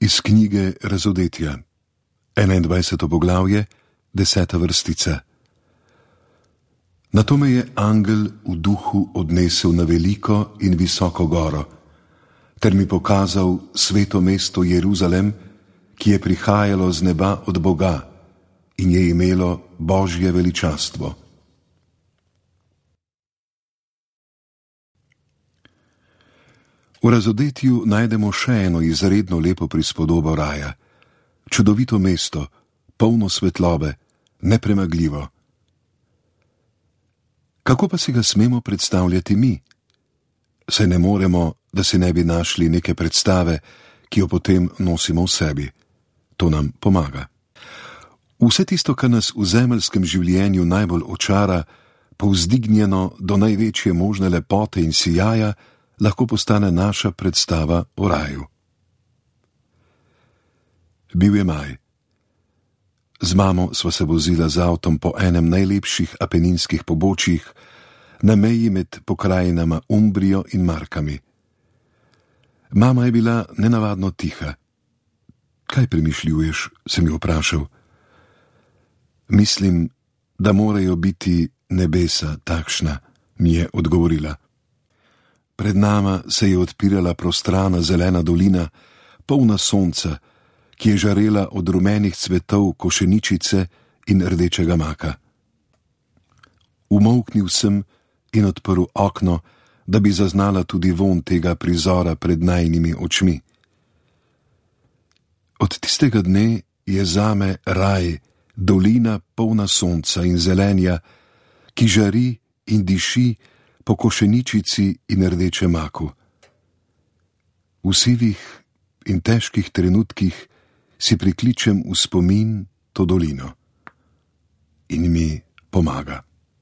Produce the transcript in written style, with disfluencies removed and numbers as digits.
Iz knjige Razodetja, 21. poglavje, 10. vrstica. Nato me je angel v duhu odnesel na veliko in visoko goro, ter mi pokazal sveto mesto Jeruzalem, ki je prihajalo z neba od Boga in je imelo Božje veličastvo. V Razodetju najdemo še eno izredno lepo prispodobo raja, čudovito mesto, polno svetlobe, nepremagljivo. Kako pa si ga smemo predstavljati mi? Saj ne moremo, da si ne bi našli neke predstave, ki jo potem nosimo v sebi. To nam pomaga. Vse tisto, kar nas v zemeljskem življenju najbolj očara, povzdignjeno do največje možne lepote in sijaja, lahko postane naša predstava o raju. Bil je maj. Z mamo sva se vozila z avtom po enem najlepših apeninskih pobočjih, na meji med pokrajinama Umbrijo in Markami. Mama je bila nenavadno tiha. Kaj premišljuješ, sem jo vprašal. Mislim, da morajo biti nebesa takšna, mi je odgovorila. Pred nama se je odpirala prostrana zelena dolina, polna sonca, ki je žarela od rumenih cvetov košeničice in rdečega maka. Umolknil sem in odprl okno, da bi zaznala tudi vonj tega prizora pred najinimi očmi. Od tistega dne je zame raj, dolina polna sonca in zelenja, ki žari in diši po košeničici in rdečem maku. V sivih in težkih trenutkih si prikličem v spomin to dolino in mi pomaga.